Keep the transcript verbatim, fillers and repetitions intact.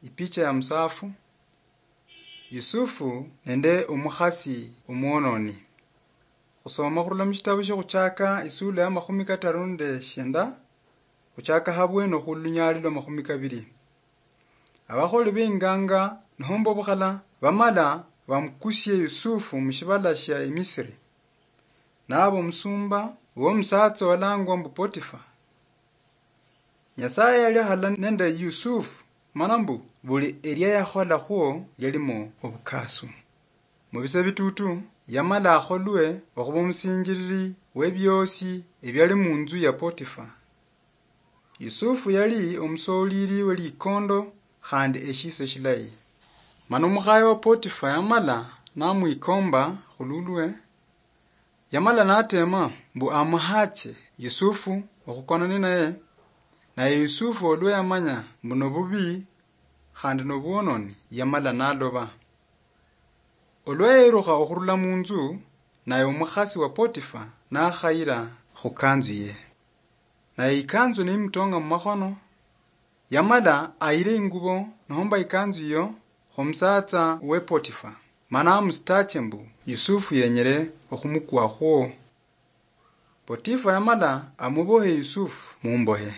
Ipicha ya musafu. Yusufu nende omukhasi omwononi. Khusoma khurula mushitabu shia Khuchaka isula ya makhumi kataru nende shienda, khuchaka habwene khulunyali lwa makhumi kabiri. Abakholi benganga nohomba obukhala bamala bamukusie Yusufu mushibala shia Emisiri. Naba omusumba womusatsa olangwa mbu Potifa. Nyasaye yali halala nende Yusufu, mana mbu buli elia yakhola khwo lialimo obukasu. Mubise bitutu, yamala akholwe okhuba omusinjiriri webiosi ebiali munzu ya Potifa. Yusufu yali omusoliri welikondo khandi eshiso shilayi. Mana omukhaye wa Potifa yamala namwikomba khululwe, yamala natema mbu amuhache Yusufu okhukona ninaye, naye Yusufu olwa yamanya mbu nobubi khandi nobwononi, yamala naloba. Olwa yerukha okhurula munzu, naye omukhasi wa Potifa nakhayira khukanzu ye. Naye ikanzu nimutonga mumakhono, yamala ayire ingubo nohomba ikanzu iyo khumusatsa we Potifa, mana amusitache mbu Yusufu yenyere okhumukwakhwo. Potifa yamala amubohe Yusufu mumbohe.